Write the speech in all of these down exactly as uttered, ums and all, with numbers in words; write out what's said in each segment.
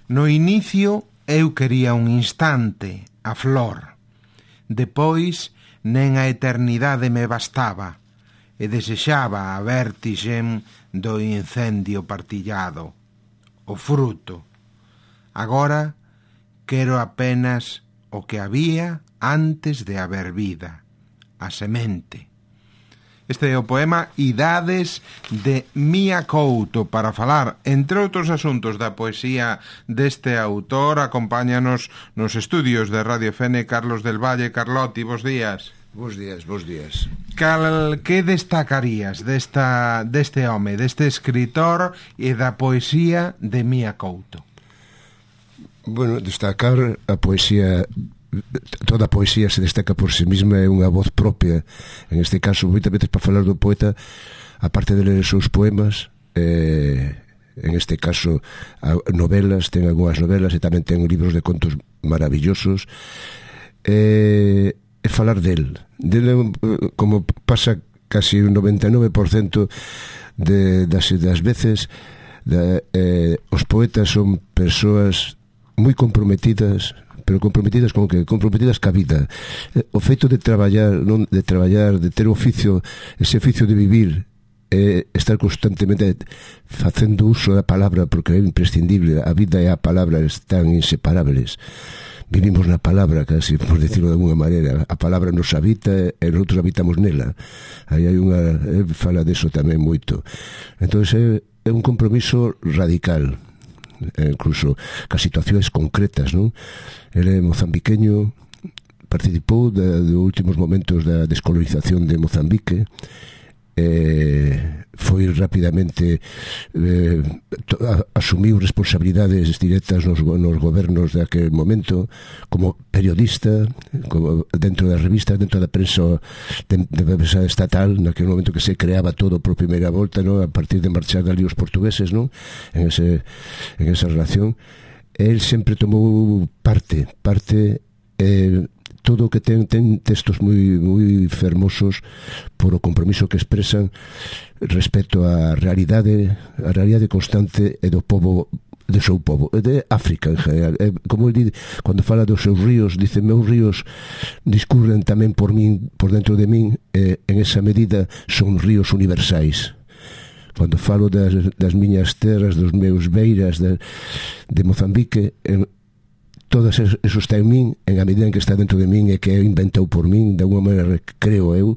No inicio eu quería un instante, a flor. Depois nen a eternidade me bastaba e desexaba a vértixe do incendio partillado, o fruto. Agora quero apenas o que había antes de haber vida, a semente. Este é o poema Idades de Mia Couto. Para falar, entre outros asuntos, da poesía deste autor, acompáñanos nos estudios de Radio F N Carlos del Valle. Carlotti, bos días. Bos días, bos días. Cal, que destacarías desta, deste home, deste escritor e da poesía de Mia Couto? Bueno, destacar a poesía... Toda a poesía se destaca por si mesma, é unha voz propia. En este caso, moitas veces para falar do poeta, aparte de ler os seus poemas, eh, en este caso novelas, ten algunhas novelas e tamén ten libros de contos maravillosos, eh, é falar del del, como pasa casi un noventa e nove por cento de, das, das veces de, eh, os poetas son persoas moi comprometidas, pero comprometidas con que comprometidas ca vida. O feito de traballar, non de traballar, de ter oficio, ese oficio de vivir, é estar constantemente facendo uso da palabra, porque é imprescindible. A vida e a palabra están inseparables. Vivimos na palabra, casi, por decirlo de alguna maneira. A palabra nos habita e nosotros habitamos nela. Aí hai unha... Ele fala deso tamén moito. Entón, é, é un compromiso radical, incluso ca situacións concretas, non? Ele é mozambiqueño, participou de, de últimos momentos da descolonización de Mozambique, eh, foi rapidamente eh, to, a, asumiu responsabilidades directas nos, nos gobernos daquele momento, como periodista, como dentro das revistas, dentro da prensa de, de prensa estatal, naquele momento que se creaba todo por primeira volta, ¿no? A partir de marchar ali os portugueses, ¿no? en, ese, en esa relación. El sempre tomou parte, parte eh, todo o que ten, ten textos moi, moi fermosos por o compromiso que expresan respecto á realidade, a realidade constante e do povo, do seu povo, de África en general. Eh, como ele, cando fala dos seus ríos, dice, meus ríos discurren tamén por min, por dentro de min, e en esa medida son ríos universais. Cando falo das, das miñas terras, dos meus beiras de, de Mozambique, en, todos eso está en min, en a medida en que está dentro de min e que é inventado por min, de alguma maneira creo eu,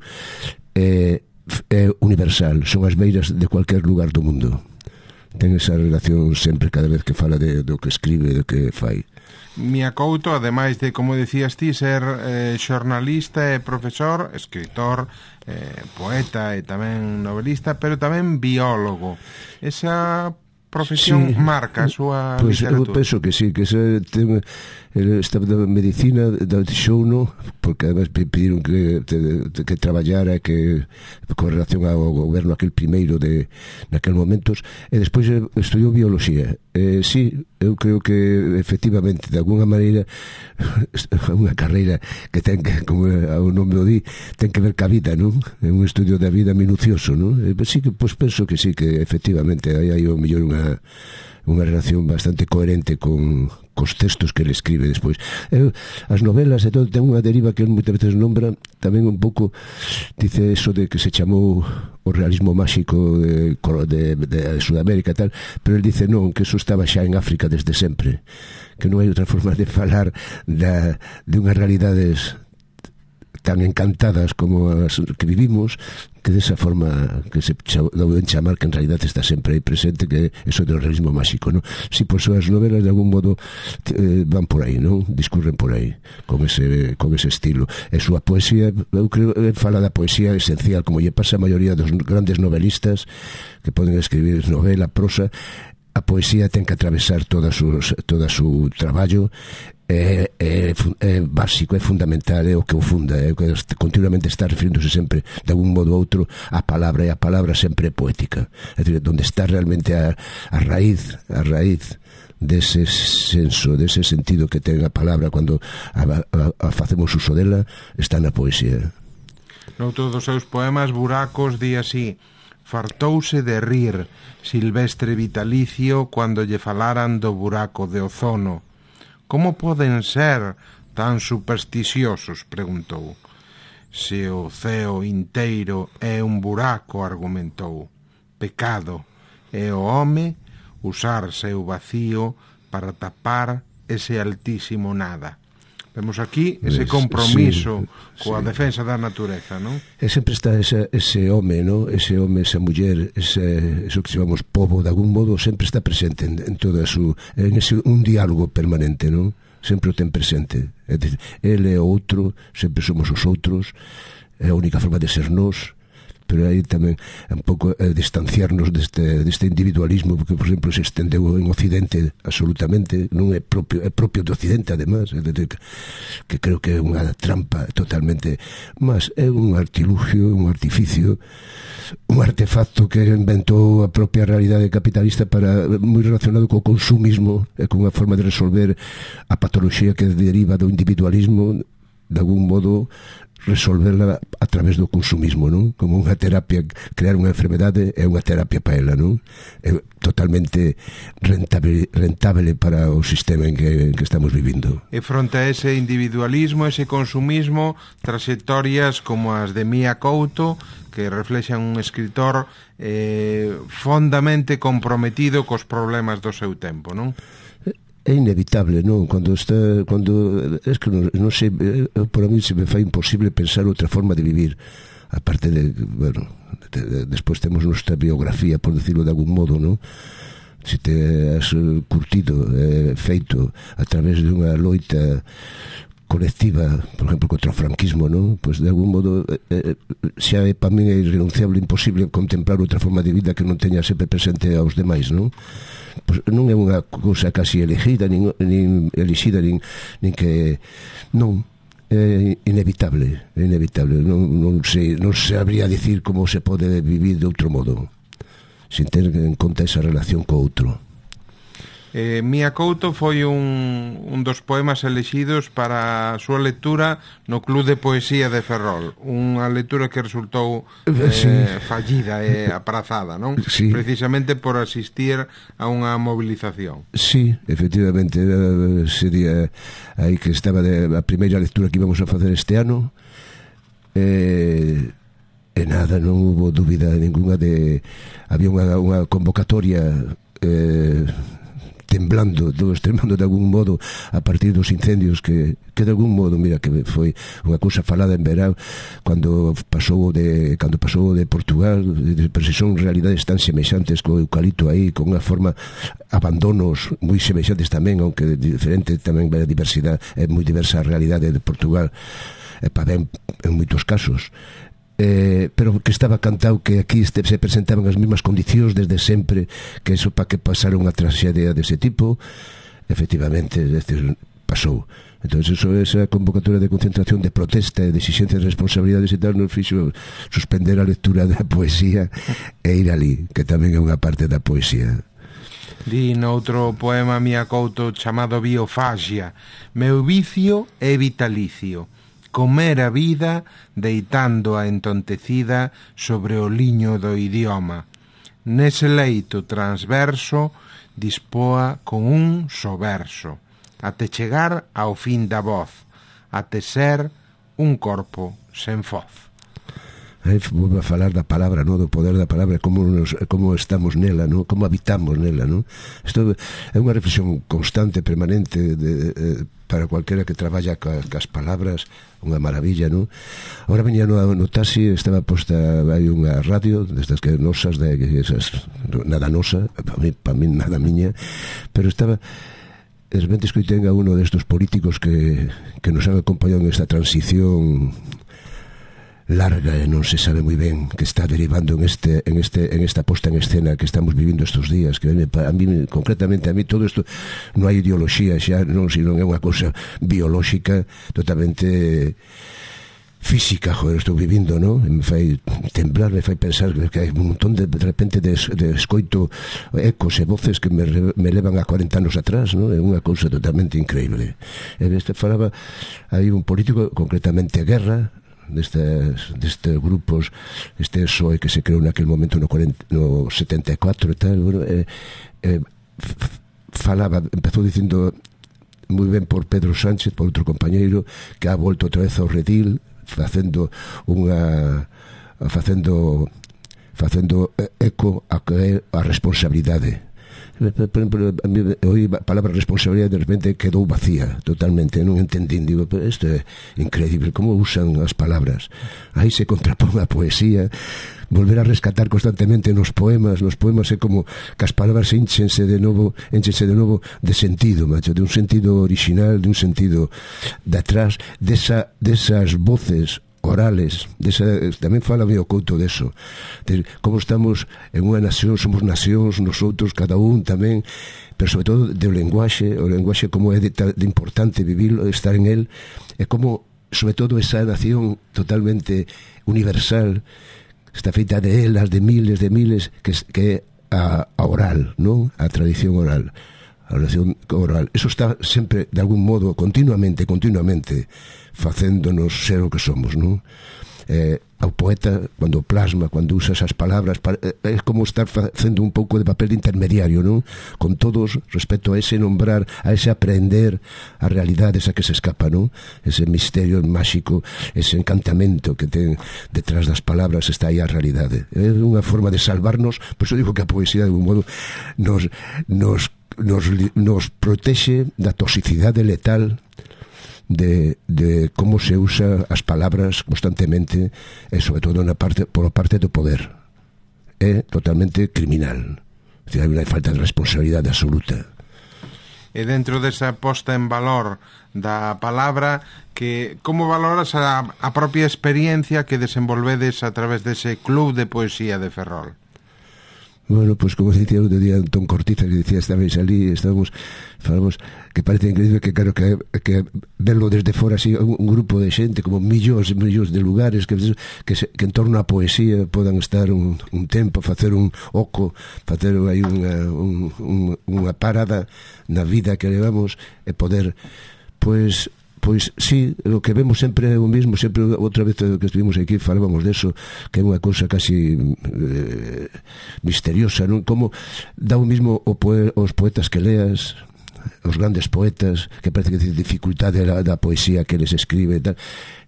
é, é universal, son as beiras de cualquier lugar do mundo. Ten esa relación sempre, cada vez que fala de, do que escribe, do que fai. Mia Couto, ademais de, como decías ti, ser eh, xornalista e profesor, escritor, eh, poeta e tamén novelista, pero tamén biólogo. Esa profesión sí, marca a súa pues, literatura. Eu penso que sí, que se ten, esta da medicina da show, no, porque además pediron que, te, que traballara que con relación ao goberno aquel primeiro de naqueles momentos, e despois estudiou bioloxía. Eh, sí, eu creo que efectivamente de alguna maneira unha carreira que ten que, como o nome o di, ten que ver ca vida, non? É un estudio da vida minucioso, non? Eh, sí que pois penso que sí, que efectivamente aí hai o mellor unha unha relación bastante coherente con cos textos que ele escribe despois. Eu, as novelas e todo ten unha deriva que ele moitas veces nombra tamén un pouco, dice eso de que se chamou o realismo máxico de, de, de, de Sudamérica e tal, pero ele dice non, que eso estaba xa en África desde sempre, que non hai outra forma de falar da, de unhas realidades tan encantadas como as que vivimos, que desa forma que se deben chamar, que en realidad está sempre aí presente, que eso do realismo máxico, non? Si, por súas novelas de algún modo eh, van por aí, non? Discurren por aí con ese, con ese estilo. E súa poesía, eu creo, ele fala da poesía esencial, como lle pasa a maioría dos grandes novelistas que poden escribir novela, prosa. A poesía ten que atravesar toda su, toda su traballo. É, é, é básico, é fundamental, é o que o funda, é o que continuamente está referiéndose sempre de algún modo ou outro á palabra, e a palabra sempre é poética, é dicir, onde está realmente a, a raíz a raíz dese senso, dese sentido que ten a palabra cando a, a, a facemos uso dela, está na poesía. Noutro dos seus poemas, Buracos, di así: Fartouse de rir Silvestre Vitalicio cando lle falaran do buraco de ozono. Como poden ser tan supersticiosos? Preguntou. Se o ceo inteiro é un buraco, argumentou. Pecado é o home usar seu vacío para tapar ese altísimo nada. Vemos aquí ese compromiso sí, coa sí. defensa da natureza, non? E sempre está ese, ese home, non? Ese home, esa muller, ese, eso que chamamos pobo, de algún modo, sempre está presente en, en toda su... en ese, un diálogo permanente, non? Sempre o ten presente. É dicir, ele é o outro, sempre somos os outros, é a única forma de ser nós, pero aí tamén un pouco eh, distanciarnos deste, deste individualismo, porque, por exemplo, se estendeu en Occidente absolutamente, non é propio, é propio de Occidente, además, é decir, que, que creo que é unha trampa totalmente, mas é un artilugio, un artificio, un artefacto que inventou a propia realidade capitalista para moi relacionado co consumismo e con unha forma de resolver a patoloxía que deriva do individualismo, de algún modo resolverla a través do consumismo, non? Como unha terapia, crear unha enfermedade é unha terapia para ela, non? É totalmente rentable, rentable para o sistema en que, en que estamos vivindo. E fronte a ese individualismo, ese consumismo, trayectorias como as de Mia Couto, que reflexan un escritor eh, fondamente comprometido cos problemas do seu tempo, non? É inevitable, non? Cando está, cando es que non, non sei, por a mí se me fai imposible pensar outra forma de vivir, aparte de, bueno, de, de, despois temos nuestra biografía, por decirlo de algún modo, non? Se te has curtido, eh, feito a través de unha loita colectiva, por exemplo, contra o franquismo, non? Pois de algún modo eh, xa é para min é irrenunciable, imposible contemplar outra forma de vida que non teña sempre presente aos demais, non? Pois non é unha cousa casi elegida, nin, nin elixida, nin, nin que non, é inevitable, é inevitable, non, non sei, non sabría dicir como se pode vivir de outro modo sin ter en conta esa relación co outro. Eh, Mia Couto foi un, un dos poemas elexidos para a súa lectura no Club de Poesía de Ferrol, unha lectura que resultou eh, sí. fallida e eh, aprazada, non? Sí. Precisamente por asistir a unha movilización. Sí, efectivamente, sería aí que estaba de, a primeira lectura que íbamos a facer este ano, e, e nada, non hubo dúbida ninguna de... había unha, unha convocatoria eh, temblando, todos temblando de algún modo a partir dos incendios que, que de algún modo, mira, que foi unha cousa falada en verán cando pasou de cando pasou de Portugal, pero se son realidades tan semexantes co eucalipto aí, con unha forma abandonos moi semexantes tamén, aunque diferente tamén a diversidade, é moi diversa a realidade de Portugal, e para ben en moitos casos. Eh, pero que estaba cantado que aquí este, se presentaban as mesmas condicións desde sempre, que eso para que pasara unha traxedia dese tipo, efectivamente, es decir, pasou. Entón, eso, esa convocatoria de concentración, de protesta e de exigencia de responsabilidades e tal, nos fixo suspender a lectura da poesía e ir ali, que tamén é unha parte da poesía. Di noutro poema Mia Couto chamado Biofagia: meu vicio é vitalicio, comer a vida deitando a entontecida sobre o liño do idioma. Nese leito transverso dispoa con un só verso, até chegar ao fin da voz, até ser un corpo sen foz. Aí volve a falar da palabra, no? Do poder da palabra, como, nos, como estamos nela, no? Como habitamos nela, no? Isto é unha reflexión constante, permanente, de, de, para cualquera que traballa ca, cas palabras, unha maravilla, no? Ahora venía no, no taxi, estaba posta hai unha radio destas que nosas, de esas, nada nosa, para mí, para mí nada miña, pero estaba de repente escoitei a uno destos políticos que, que nos han acompañado en esta transición larga e non se sabe moi ben que está derivando en este en este en esta posta en escena que estamos vivindo estes días, que a mí concretamente a mí todo isto non hai ideoloxía xa, non, sino é unha cousa biolóxica totalmente física, joder, estou vivindo, non? Me fai temblar, me fai pensar que hai un montón de, de repente de, de escoito ecos e voces que me, me levan a cuarenta anos atrás, non? É unha cousa totalmente increíble. E este falaba, hai un político, concretamente Guerra, destes, destes grupos, este S O E que se creou naquel momento no, cuarenta, no setenta e catro e tal, bueno, eh, eh, falaba, empezou dicindo moi ben por Pedro Sánchez, por outro compañeiro, que ha volto outra vez ao redil, facendo unha facendo facendo eco a que é a responsabilidade. Por exemplo, a mí, hoy a palabra responsabilidade de repente quedou vacía totalmente, non entendín, digo, pero isto é increíble, como usan as palabras, aí se contrapón a poesía, volver a rescatar constantemente nos poemas, nos poemas é como que as palabras enchense de novo, enchense de novo de sentido, macho, de un sentido original, de un sentido de atrás, desa, desas voces orales, desa, tamén fala o Couto deso, de como estamos en unha nación, somos nacións, nosotros, cada un tamén, pero sobre todo do lenguaxe, o lenguaxe como é de, de importante vivir, estar en el, e como, sobre todo, esa nación totalmente universal, está feita de elas, de miles, de miles, que, que é a, a oral, non? A tradición oral. A oración oral. Eso está sempre, de algún modo, continuamente, continuamente, facéndonos ser o que somos, non? Eh, ao poeta, cando plasma, cando usa esas palabras, é como estar facendo un pouco de papel de intermediario, non? Con todos, respecto a ese nombrar, a ese aprender a realidade esa que se escapa, non? Ese misterio máxico, ese encantamento que ten detrás das palabras, está aí a realidade. É unha forma de salvarnos, por iso digo que a poesía, de un modo, nos, nos Nos, nos protexe da toxicidade letal de, de como se usa as palabras constantemente e sobre todo na parte, por a parte do poder. É totalmente criminal. O sea, hai unha falta de responsabilidade absoluta. E dentro desa posta en valor da palabra, que como valoras a, a propia experiencia que desenvolvedes a través dese club de poesía de Ferrol? Bueno, pues como dicía outro día Antón Cortiza, que dicía, estabais ali, estábamos, falamos, que parece increíble que, claro, que, que verlo desde fora así, un, un grupo de xente, como millóns e millóns de lugares, que, que, se, que en torno á poesía podan estar un, un tempo, facer un oco, facer aí unha, un, un, unha parada na vida que levamos e poder, pois... Pois sí, o que vemos sempre é o mismo, sempre outra vez que estivemos aquí falábamos deso, que é unha cousa casi eh, misteriosa, non? Como dá o mismo o poe, os poetas que leas, os grandes poetas, que parece que dificultade da, da poesía que les escribe e tal.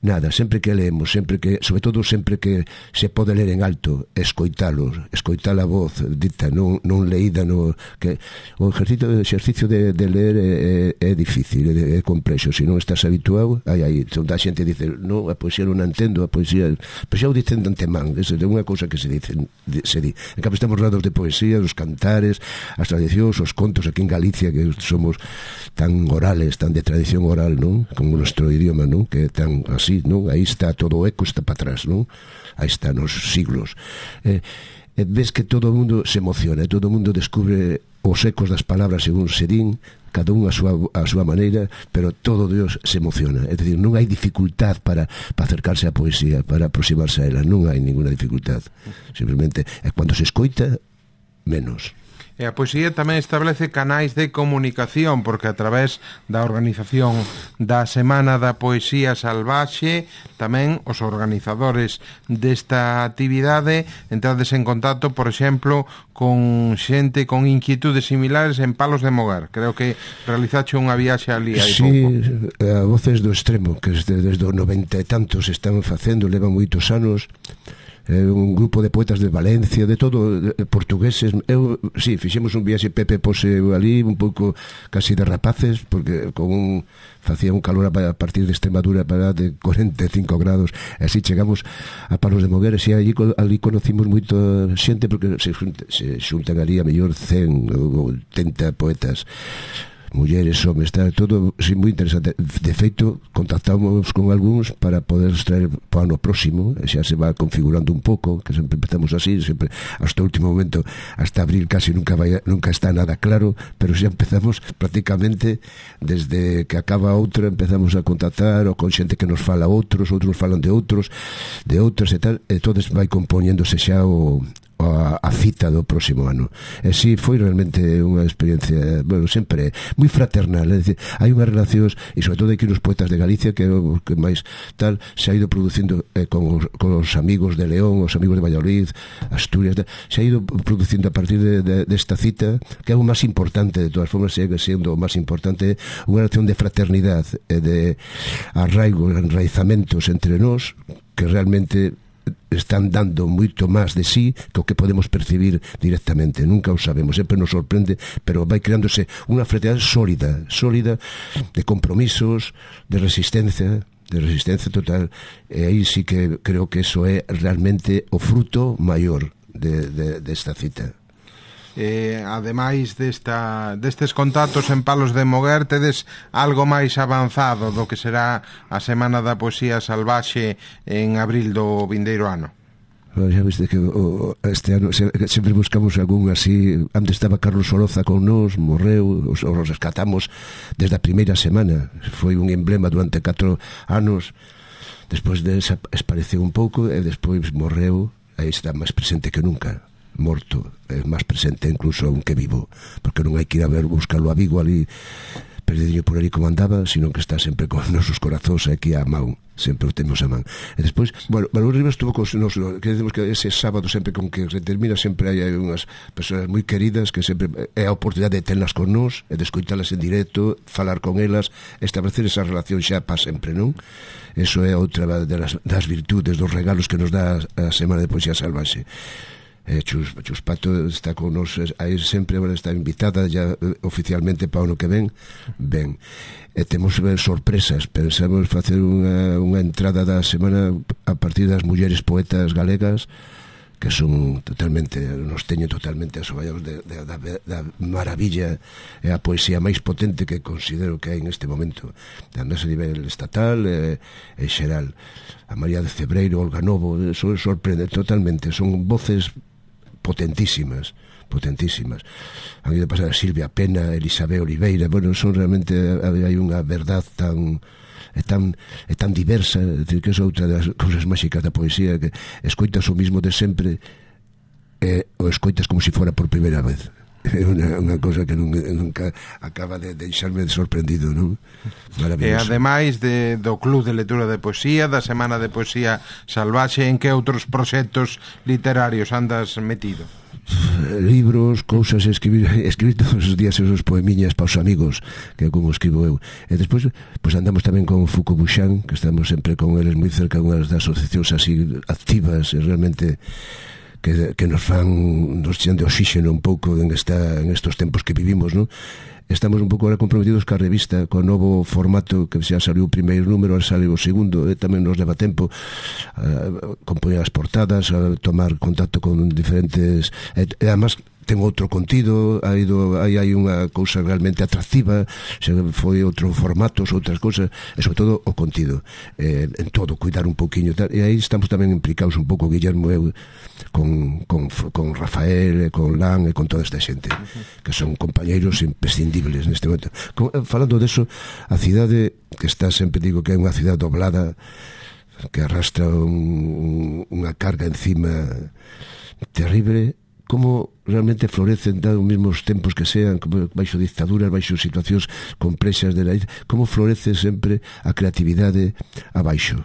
Nada, sempre que leemos, sempre que, sobre todo sempre que se pode ler en alto, escoitalos, escoitar a voz dita, non, non leída, no, que o ejercicio, o exercicio de, de ler é, é, é difícil, é, é complexo, se non estás habituado, aí, aí, onde a xente dice, non, a poesía non a entendo, a poesía, pois xa o dicen de antemán, é unha cousa que se dice, se di. En cambio estamos rodeados de poesía, os cantares, as tradicións, os contos aquí en Galicia, que somos tan orales, tan de tradición oral, non? Como o nuestro idioma, non? Que é tan así, non? Aí está todo o eco, está para atrás, non? Aí está nos siglos. Eh, eh, ves que todo o mundo se emociona, todo o mundo descubre os ecos das palabras según se din, cada un a súa, a súa maneira, pero todo Dios se emociona. É dicir, non hai dificultad para, para acercarse á poesía, para aproximarse a ela, non hai ninguna dificultad. Simplemente, é cando se escoita, menos. E a poesía tamén establece canais de comunicación, porque a través da organización da Semana da Poesía Salvaxe, tamén os organizadores desta actividade entrades en contacto, por exemplo, con xente con inquietudes similares en Palos de Mogar. Creo que realizache unha viaxe ali hai sí, pouco. Sí, a Voces do Extremo, que desde, desde os noventa e tantos están facendo, levan moitos anos, eh, un grupo de poetas de Valencia, de todo, de portugueses. Eu, sí, fixemos un viaxe, Pepe pose ali un pouco casi de rapaces, porque con un facía un calor a partir de Extremadura para de cuarenta e cinco grados, e así chegamos a Palos de Mogueres, e ali, ali conocimos moito xente, porque se, se xuntan ali a mellor cen ou oitenta poetas, mulleres, homes, está todo sí, moi interesante. De feito, contactamos con algúns para poder traer para o ano próximo, xa se va configurando un pouco, que sempre empezamos así, sempre hasta o último momento, hasta abril casi nunca vai, nunca está nada claro, pero xa empezamos prácticamente desde que acaba outra, empezamos a contactar ou con xente que nos fala outros, outros falan de outros, de outros e tal, e todos vai compoñéndose xa o a, a cita do próximo ano. E si, foi realmente unha experiencia, bueno, sempre moi fraternal, é dicir, hai unhas relacións, e sobre todo aquí nos poetas de Galicia, que é o que máis tal, se ha ido producindo eh, con, os, con os amigos de León, os amigos de Valladolid, Asturias, se ha ido producindo a partir de, de, de esta cita, que é o máis importante, de todas formas, segue sendo o máis importante, unha relación de fraternidade e de arraigo, enraizamentos entre nós, que realmente están dando moito máis de sí que o que podemos percibir directamente. Nunca o sabemos, sempre nos sorprende, pero vai creándose unha fraternidade sólida, sólida, de compromisos, de resistencia, de resistencia total, e aí sí que creo que eso é realmente o fruto maior de, de, desta cita. Eh, ademais desta, destes contactos en Palos de Moguer, tedes algo máis avanzado do que será a Semana da Poesía Salvaxe en abril do vindeiro ano? Xa viste que o, este ano sempre buscamos algún así. Antes estaba Carlos Oroza con nós, morreu, os, os rescatamos desde a primeira semana, foi un emblema durante catro anos, despois desapareceu un pouco e despois morreu, aí está máis presente que nunca, morto, é máis presente incluso aunque vivo, porque non hai que ir a ver buscarlo a Vigo ali perdido por ali como andaba, sino que está sempre con nosos corazóns aquí a mão, sempre o temos a man. E despois, bueno, Manuel Rivas estuvo con nos, que decimos que ese sábado sempre con que se termina sempre hai unhas persoas moi queridas que sempre é a oportunidade de telas con nós e de escoitalas en directo, falar con elas, establecer esa relación xa para sempre, non? Eso é outra das, das virtudes, dos regalos que nos dá a Semana de Poesía Salvaxe. Eh, Chus, Chus Pato está con nos aí sempre, agora está invitada ya eh, oficialmente para o ano que ven ben, e temos ver sorpresas, pensamos facer unha, unha entrada da semana a partir das mulleres poetas galegas que son totalmente, nos teñen totalmente asoballados de, de, da, da maravilla e a poesía máis potente que considero que hai neste momento, además a nivel estatal e, e xeral. A María de Cebreiro, Olga Novo, eso sorprende totalmente, son voces potentísimas, potentísimas. Han ido a pasar a Silvia Pena, Elisabé Oliveira, bueno, son realmente, hai unha verdad tan é tan, é tan diversa, é dicir, que é outra das cousas máxicas da poesía, que escoitas o mismo de sempre e o escoitas como se fora por primeira vez. É unha, unha cosa que nunca, nunca acaba de deixarme sorprendido, non? E ademais de, do Club de Lectura de Poesía, da Semana de Poesía Salvaxe, en que outros proxectos literarios andas metido? Libros, cousas, escribir, escribir todos os días esos poemiñas para os amigos, que é como escribo eu. E despois, pois andamos tamén con Foucault Bouchan, que estamos sempre con eles moi cerca, unhas das asociacións así activas e realmente que, que nos fan, nos chean de oxígeno un pouco en, esta, en estos tempos que vivimos, non? Estamos un pouco ahora comprometidos ca revista, co novo formato que xa saliu o primeiro número, ahora sale o segundo, e tamén nos leva tempo a compoñer as portadas, a tomar contacto con diferentes, e, e además ten outro contido, hai, do, hai, hai unha cousa realmente atractiva, se foi outro formatos, outras cousas, e sobre todo o contido, eh, en todo, cuidar un pouquiño, tal, e aí estamos tamén implicados un pouco, Guillermo e eu, con, con, con Rafael, con Lan e con toda esta xente, que son compañeiros imprescindibles neste momento. Con, falando deso, a cidade, que está, sempre digo que é unha cidade doblada, que arrastra un, unha carga encima terrible, como realmente florecen dados os mesmos tempos que sean, como baixo dictaduras, baixo situacións complexas de la, como florece sempre a creatividade abaixo,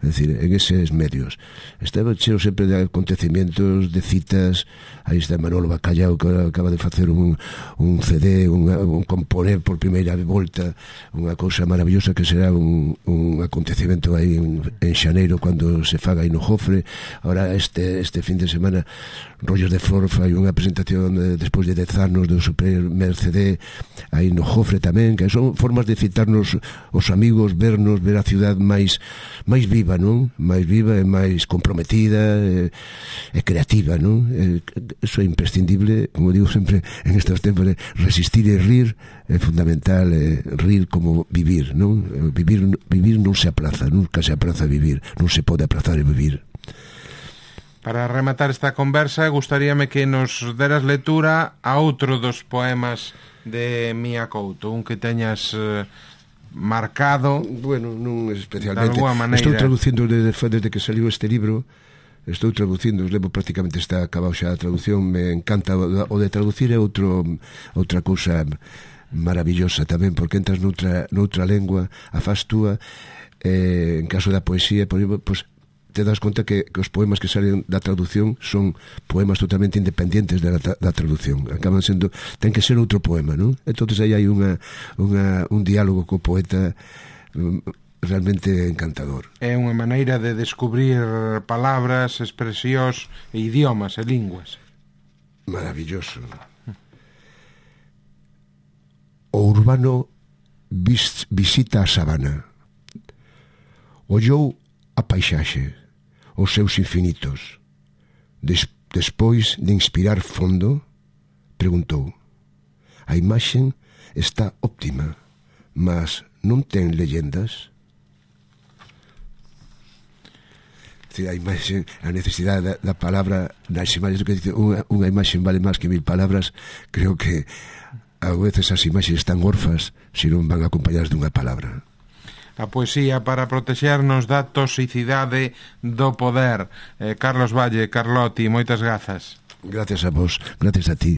é dicir, en eses medios. Estaba cheo sempre de acontecimientos, de citas. Aí está Manolo Bacallao, que acaba de facer un, un C D, un, un componer por primeira volta, unha cousa maravillosa que será un, un acontecimento aí en, en xaneiro, cando se faga aí no Jofre. Ahora este, este fin de semana Rollos de Flor fai unha presentación de, despois de dez anos do seu primer C D aí no Jofre tamén, que son formas de citarnos os amigos, vernos, ver a ciudad máis máis viva, non? Máis viva e máis comprometida e, e creativa, non? E, eso é imprescindible, como digo sempre en estes tempos, resistir e rir é fundamental, é rir como vivir, non? Vivir, vivir non se aplaza, nunca se aplaza vivir, non se pode aplazar e vivir. Para rematar esta conversa, gustaríame que nos deras lectura a outro dos poemas de Mía Couto, un que teñas eh, marcado. Bueno, non especialmente. De alguma maneira. Estou traducindo desde, desde que saliu este libro, estou traducindo, levo prácticamente está acabado xa a traducción, me encanta o de traducir, é outro outra cousa maravillosa tamén, porque entras noutra, noutra lengua, a faz túa, eh, en caso da poesía, por exemplo, pues, te das conta que, que os poemas que salen da traducción son poemas totalmente independientes da, da traducción, acaban sendo, ten que ser outro poema, non? Entonces aí hai unha, unha, un diálogo co poeta realmente encantador. É unha maneira de descubrir palabras, expresións e idiomas e linguas. Maravilloso. O urbano vis, visita a sabana. Ollou a paisaxe, os seus infinitos. Des, despois de inspirar fondo, preguntou: a imaxen está óptima, mas non ten leyendas? A imaxen, a necesidade da, da palabra nas imaxes, que dice unha, unha imaxen vale máis que mil palabras. Creo que a veces as imaxes están orfas se non van acompañadas dunha palabra. A poesía para protexernos da toxicidade do poder. eh, Carlos Valle, Carlotti, moitas grazas. Gracias a vos, gracias a ti.